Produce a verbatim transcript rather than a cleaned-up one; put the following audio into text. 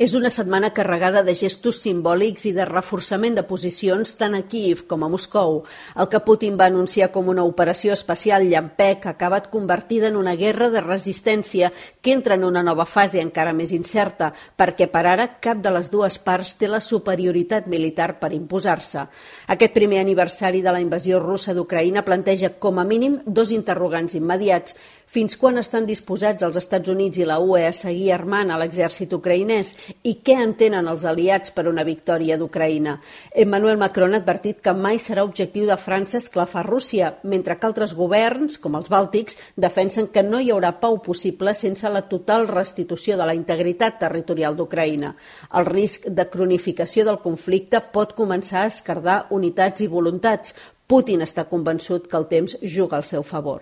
És una setmana carregada de gestos simbòlics i de reforçament de posicions tant a Kíev com a Moscou. El que Putin va anunciar com una operació especial llampec ha acabat convertida en una guerra de resistència que entra en una nova fase encara més incerta, perquè per ara cap de les dues parts té la superioritat militar per imposar-se. Aquest primer aniversari de la invasió russa d'Ucraïna planteja com a mínim dos interrogants immediats. Fins quan estan disposats els Estats Units i la U E a seguir armant a l'exèrcit ucraïnès i què entenen els aliats per una victòria d'Ucraïna? Emmanuel Macron ha advertit que mai serà objectiu de França esclafar Rússia, mentre que altres governs, com els bàltics, defensen que no hi haurà pau possible sense la total restitució de la integritat territorial d'Ucraïna. El risc de cronificació del conflicte pot començar a esquerdar unitats i voluntats. Putin està convençut que el temps juga al seu favor.